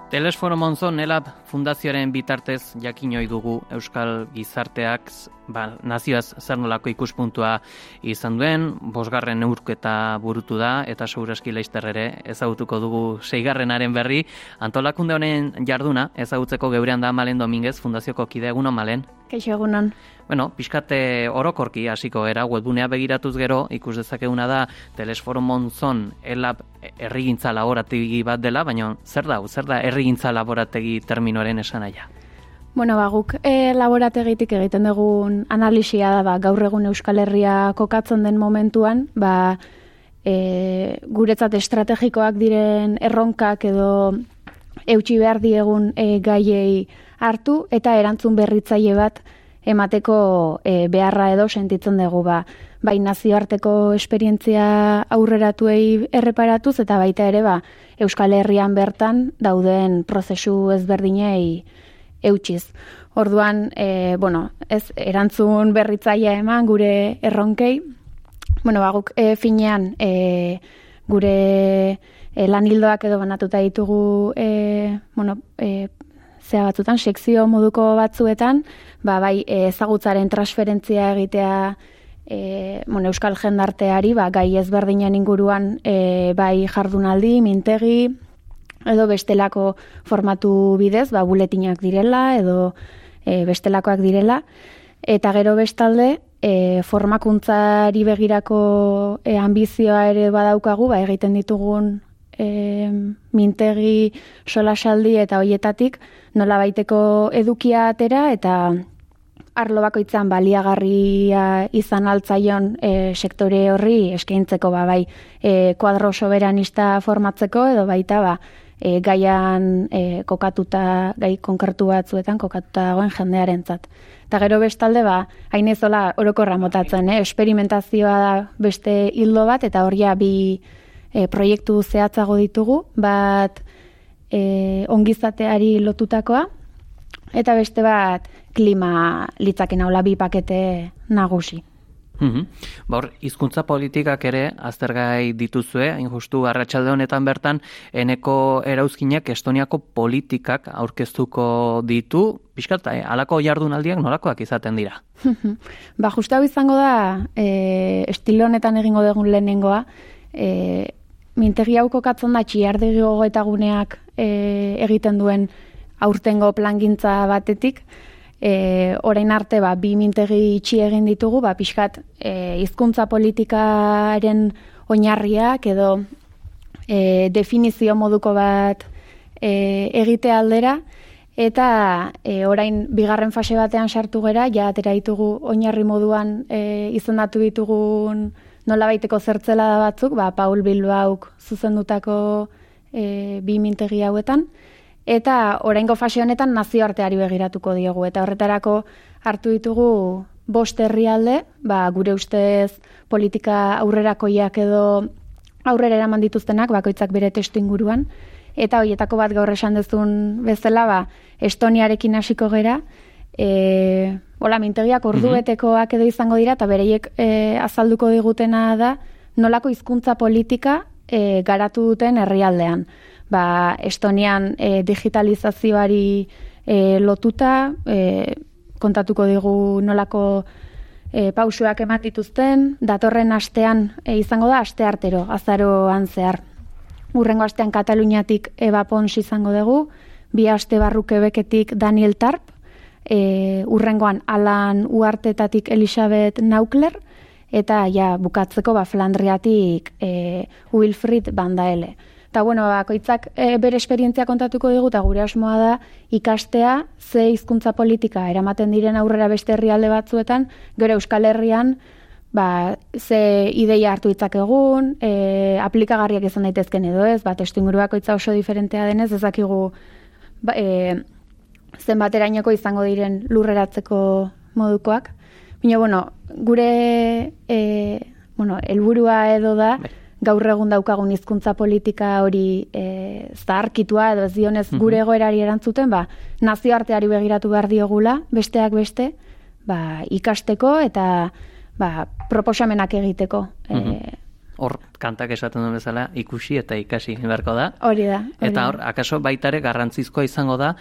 Telesforo Monzon ELAB fundazioaren bitartez jakinoi dugu Euskal Gizarteak nazioaz zer nolako ikuspuntua izan duen, 5. neurketa burutu da eta segurazki laster ere ezagutuko dugu 6. berri. Antolakunde honen jarduna ezagutzeko geurean da Malen Dominguez, fundazioko kide. Egunon, Malen? Kaixo, egunon. Bueno, pixkate orokorki hasiko era, webgunea begiratuz gero, ikus dezakeguna da Telesforo Monzon ELAB herrigintza laborategi bat dela, baina zer da herrigintza laborategi terminoaren esanaia? Bueno, guk laborategitik egiten dugun analisia da, gaur egun Euskal Herria kokatzen den momentuan, guretzat estrategikoak diren erronkak edo eutsi behar diegun gaiei hartu eta erantzun berritzaile bat emateko beharra edo sentitzen dugu bai nazioarteko esperientzia aurreratuei erreparatuz eta baita ere Euskal Herrian bertan dauden prozesu ezberdinei eutsiz. Orduan, ez erantzun berritzailea eman gure erronkei. Guk finean gure lanildoak edo banatuta ditugu zea batzutan, sekzio moduko batzuetan, bai ezagutzaren transferentzia egitea Euskal jendarteari, gai ezberdinen inguruan bai jardunaldi, mintegi, edo bestelako formatu bidez, buletinak direla, edo bestelakoak direla, eta gero bestalde, formakuntzari begirako ambizioa ere badaukagu, egiten ditugun mintegi, solasaldi eta hoietatik nola baiteko edukia atera eta arlo bakoitzan baliagarria izan altzaion sektore horri eskaintzeko bai kuadro soberanista formatzeko edo baita gaian kokatuta, gai konkretu batzuetan kokatuta dagoen jendearentzat. Eta gero bestalde hain ezola orokorra motatzen, esperimentazioa da beste hildo bat eta horria bi proiektu zehatzago ditugu, bat ongizateari lotutakoa, eta beste bat klima litzaken haula bi pakete nagusi. Hizkuntza politikak ere aztergai dituzue, hain justu arratsalde honetan bertan, eneko erauzkinak Estoniako politikak aurkeztuko ditu, pixkat, halako jardunaldiak nolakoak izaten dira? Justu hau izango da, estilo honetan egingo dugun lehenengoa, mintegi hau kokatzen da txiardegi gogoetaguneak egiten duen aurtengo plangintza batetik, orain arte bi mintegi itxi egin ditugu, pixkat hizkuntza politikaren oinarriak edo definizio moduko bat egite aldera, eta orain 2. fase batean sartu gera, atera ditugu oinarri moduan izendatu ditugun nolabaiteko zertzelada batzuk, Paul Bilbauk zuzendutako bi mintegi hauetan, eta oraingo fase honetan nazioarteari begiratuko diegu, eta horretarako hartu ditugu 5 herrialde, gure ustez politika aurrerakoiak edo aurrera eraman dituztenak, bakoitzak bere testu inguruan, eta horietako bat gaur esan dezun bezala, Estoniarekin hasiko gera, mintegiak ordubetekoak edo izango dira, eta bereiek azalduko digutena da nolako hizkuntza politika garatu duten herrialdean. Estonian digitalizazioari lotuta, kontatuko digu nolako pausuak eman dituzten, datorren astean izango da asteartero, azaroan zehar. Hurrengo astean Kataluniatik Eva Pons izango dugu, 2 aste barru Quebeketik Daniel Tarp, hurrengoan Alan Uartetatik Elisabeth Naukler, eta bukatzeko Flandriatik Wilfried Van Daele. Eta bakoitzak bere esperientzia kontatuko digu, eta gure asmoa da ikastea ze hizkuntza politika eramaten diren aurrera beste herrialde batzuetan, gero Euskal Herrian ze ideia hartu ditzakegun, aplikagarriak izan daitezken edo ez, testuinguru bakoitza oso diferentea denez, ezakigu zenbaterainoko izango diren lurreratzeko modukoak. Baina, gure helburua edo da, gaur egun daukagun hizkuntza politika hori zaharkitua edo ez dionez gure egoerari erantzuten, nazioarteari begiratu behar diogula, besteak beste, ikasteko eta proposamenak egiteko hor kantak esaten duen bezala ikusi eta ikasi beharko da. Hori da. Eta hor, akaso baitare garrantzizkoa izango da,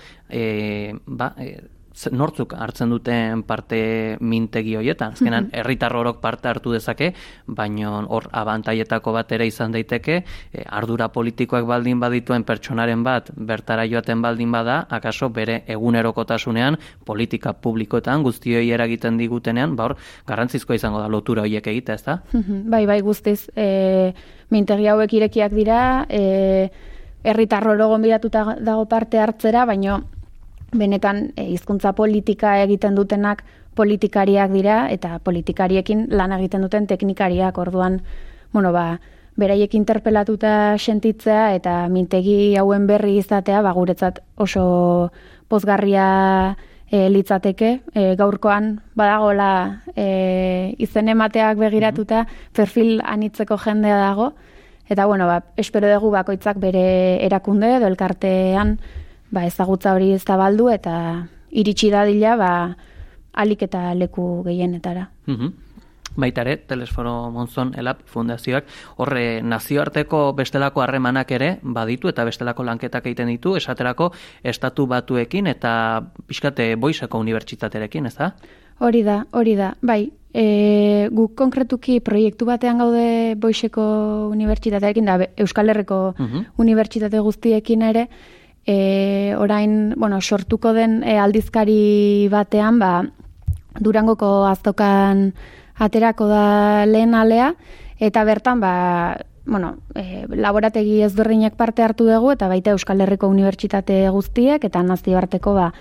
nortzuk hartzen duten parte mintegi horietan. Azkenan, herritar orok parte hartu dezake, baina hor abantaietako bat ere izan daiteke, ardura politikoak baldin badituen pertsonaren bat bertara joaten baldin bada, akaso bere egunerokotasunean, politika publikoetan, guztioi eragiten digutenean, hor, garrantzizkoa izango da lotura horiek egitea, ez da? Bai, guztiz. Mintegi hauek irekiak dira, herritar oro gonbidatuta dago parte hartzera, baina benetan hizkuntza politika egiten dutenak politikariak dira eta politikariekin lan egiten duten teknikariak. Orduan, beraiek interpelatuta sentitzea eta mintegi hauen berri izatea, guretzat oso pozgarria litzateke. Gaurkoan badagola izen emateak begiratuta perfil anitzeko jendea dago eta espero dugu bakoitzak bere erakunde edo elkartean ezagutza hori zabaldu eta iritsi dadila alik eta leku gehienetara. Baitare, Telesforo Monzon ELAB fundazioak horre nazioarteko bestelako harremanak ere baditu eta bestelako lanketak egiten ditu, esaterako Estatu Batuekin eta pixkate Boiseko unibertsitaterekin, ez da? Hori da. Bai, guk konkretuki proiektu batean gaude Boiseko unibertsitaterekin da Euskal Herriko unibertsitate guztiekin ere, orain, sortuko den aldizkari batean, Durangoko azokan aterako da lehen alea, eta bertan, laborategi ezberdinak parte hartu dugu, eta baita Euskal Herriko unibertsitate guztiek, eta nazioarteko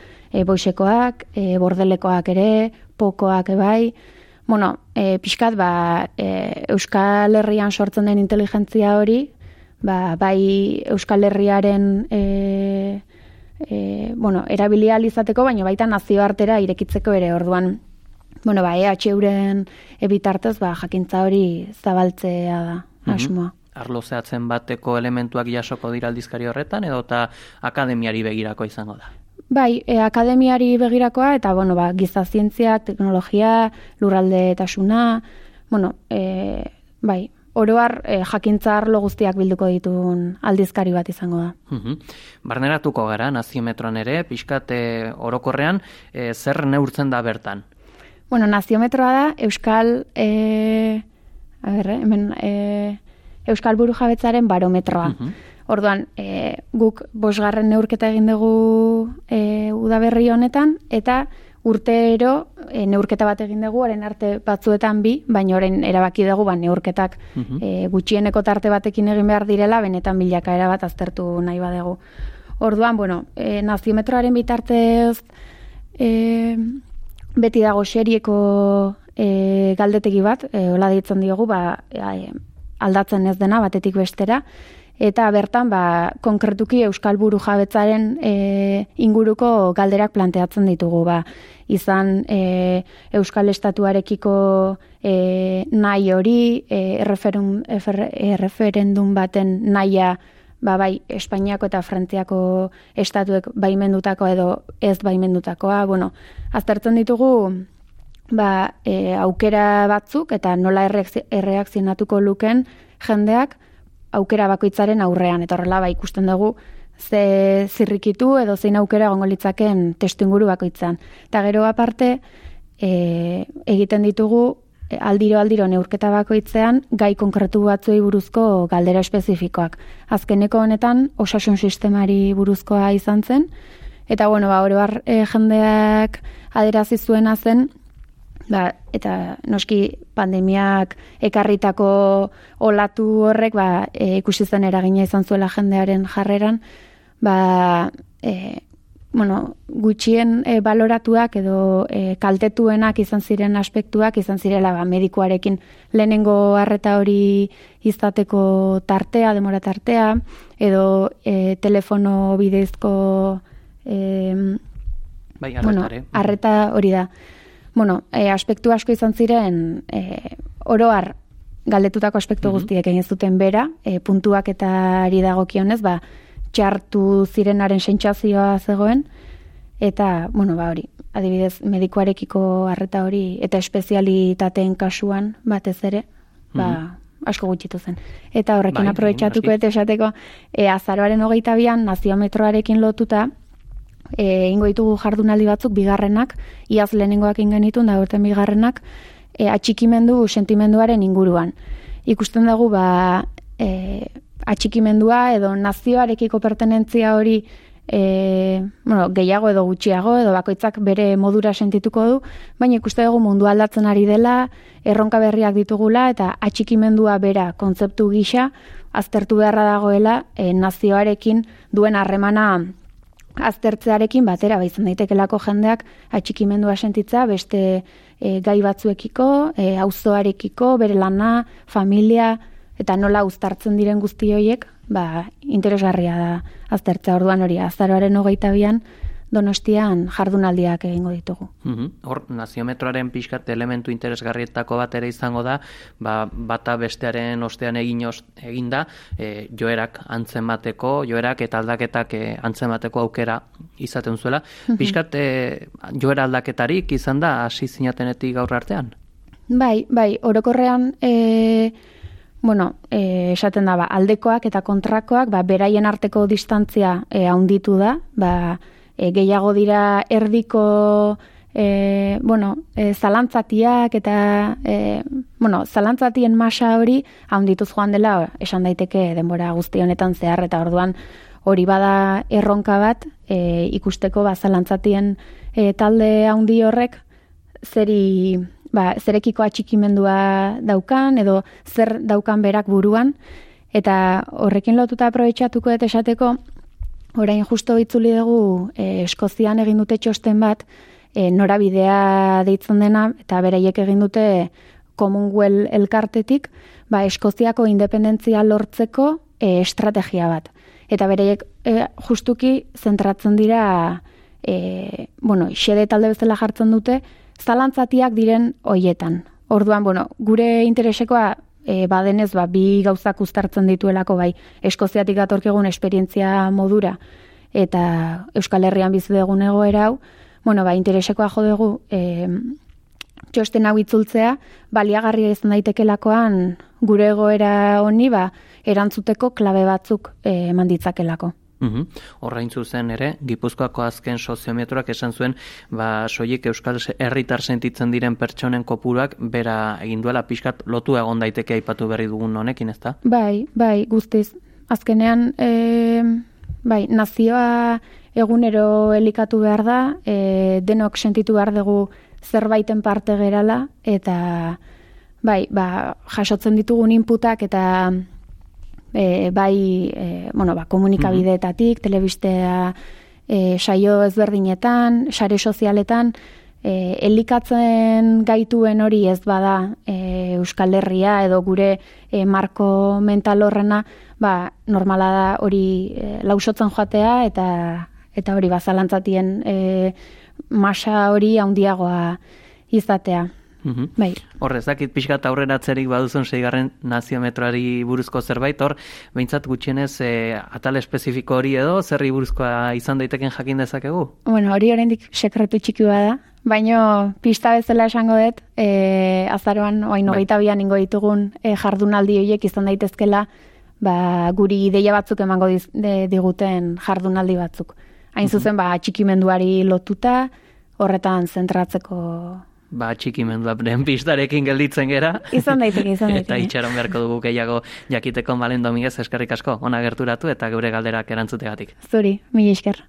Boisekoak, Bordelekoak ere, Pokoak bai, pixkat, Euskal Herrian sortzen den inteligentzia hori, bai Euskal Herriaren erabilia izateko, baina baita nazioartera irekitzeko ere. Orduan, EHUren bitartez jakintza hori zabaltzea da asmoa. Arlo zehatzen bateko elementuak jasoko dira aldizkari horretan, edo eta akademiari begirako izango da? Bai, akademiari begirakoa, eta giza zientziak, teknologia, lurraldetasuna, bai, oroar jakintza arlo guztiak bilduko dituen aldizkari bat izango da. Barneratuko gara, naziometroan ere, pixkat orokorrean, zer neurtzen da bertan? Naziometroa da Euskal Euskal Burujabetzaren barometroa. Orduan, guk 5. neurketa egin dugu udaberri honetan, eta urtero neurketa bat egin dugu, orain arte batzuetan 2, baina orain erabaki dugu neurketak gutxieneko tarte batekin egin behar direla, benetan bilakaera bat aztertu nahi badugu. Orduan, naziometroaren bitartez beti dago serieko galdetegi bat, hola deitzen diogu, aldatzen ez dena batetik bestera, eta bertan konkretuki Euskal Burujabetzaren inguruko galderak planteatzen ditugu. Izan Euskal Estatuarekiko nahi hori, erreferendum baten nahia, bai Espainiako eta Frantziako estatuek baimendutako edo ez baimendutakoa. Aztertzen ditugu aukera batzuk eta nola erreakzionatuko luken jendeak aukera bakoitzaren aurrean, eta horrela ikusten dugu ze zirrikitu edo zein aukera egongo litzaken testuinguru bakoitzan. Eta gero aparte egiten ditugu aldiro neurketa bakoitzean gai konkretu batzuei buruzko galdera espezifikoak. Azkeneko honetan osasun sistemari buruzkoa izan zen, eta oroar jendeak adierazi zuena zen, eta noski pandemiak ekarritako olatu horrek ikusi zen eragina izan zuela jendearen jarreran, gutxien baloratuak edo kaltetuenak izan ziren aspektuak izan zirela medikuarekin lehenengo arreta hori izateko tartea, demora tartea, edo telefono bidezko arreta hori da. Aspektu asko izan ziren oroar galdetutako aspektu guztiek egin zuten bera, puntuak eta ari dagokionez, txartu zirenaren sentsazioa zegoen, eta, hori, adibidez, medikuarekiko arreta hori, eta espezialitateen kasuan batez ere, asko gutxitu zen. Eta horrekin aprobetxatuko eta esateko, azaroaren 22an naziometroarekin lotuta, ingo ditugu jardunaldi batzuk, bigarrenak, iaz lehenengoak ingenitun, da horten bigarrenak, atxikimendu sentimenduaren inguruan. Ikusten dugu, atxikimendua edo nazioarekiko pertenentzia hori gehiago edo gutxiago, edo bakoitzak bere modura sentituko du, baina ikuste dugu mundu aldatzen ari dela, erronka berriak ditugula, eta atxikimendua bera kontzeptu gisa, aztertu beharra dagoela nazioarekin duen harremana aztertzearekin batera, izan daitekelako jendeak atxikimendua sentitza beste gai batzuekiko, auzoarekiko, bere lana, familia, eta nola uztartzen diren guzti horiek, interesgarria da aztertzea. Orduan hori, azaroaren 22an Donostian jardunaldiak egingo ditugu. Hor, naziometroaren pixkat elementu interesgarrietako bat ere izango da, bata bestearen ostean eginda, joerak antzemateko, joerak eta aldaketak antzemateko aukera izaten zuela. Pixkat joera aldaketarik izan da hasi zinatenetik gaur artean? Bai, orokorrean esaten da, aldekoak eta kontrakoak, beraien arteko distantzia handitu da, gehiago dira erdiko zalantzatiak eta zalantzatien masa hori handituz joan dela esan daiteke denbora guzti honetan zehar, eta orduan hori bada erronka bat ikusteko zalantzatien talde handi horrek zerekiko atxikimendua daukan edo zer daukan berak buruan, eta horrekin lotuta aprobetxatuko eta esateko orain justo itzuli dugu Eskozian egin dute txosten bat, norabidea deitzen dena, eta beraiek egin dute Commonwealth elkartetik, Eskoziako independentzia lortzeko estrategia bat. Eta beraiek justuki zentratzen dira, xede talde bezala jartzen dute, zalantzatiak diren hoietan. Orduan, gure interesekoa badenez, bi gauzak uztartzen dituelako, Eskoziatik datorkigun esperientzia modura eta Euskal Herrian bizi dugun egoera hau, interesekoa jo dugu txosten hau itzultzea, baliagarria izan daitekeelakoan gure egoera honi erantzuteko klabe batzuk eman ditzakelako. Horrain zuzen ere, Gipuzkoako azken soziometroak esan zuen, soilik Euskal Herritar sentitzen diren pertsonen kopuruak bera egin duela pixkat lotu egon daiteke aipatu berri dugun honekin, ezta? Bai, guztiz. Azkenean, nazioa egunero elikatu behar da, denok sentitu behar dugu zerbaiten parte gerala, eta jasotzen ditugun inputak eta komunikabideetatik, telebistea, saio ezberdinetan, sare sozialetan, elikatzen gaituen hori ez bada Euskal Herria edo gure marko mental horrena, normala da hori lausotzen joatea eta hori zalantzatien masa hori handiagoa izatea. Horrezakit pixkat aurreratzerik baduzun 6. naziometroari buruzko zerbait, hor, behintzat gutxienez atal espezifiko hori edo, zerri buruzkoa izan daiteken jakin dezakegu? Hori oraindik sekretu txiki da, baina pista bezala esango dut, azaroan, 22an ingo ditugun jardunaldi horiek izan daitezkela, guri ideia batzuk emango diguten jardunaldi batzuk. Hain zuzen, atxikimenduari lotuta, horretan zentratzeko atxikimendua pistarekin gelditzen gera. Izan daiteke. Eta itxaron beharko dugu gehiago jakiteko. Malen Dominguez, eskerrik asko, ona gerturatu eta geure galderak erantzutegatik. Zuri, mila esker.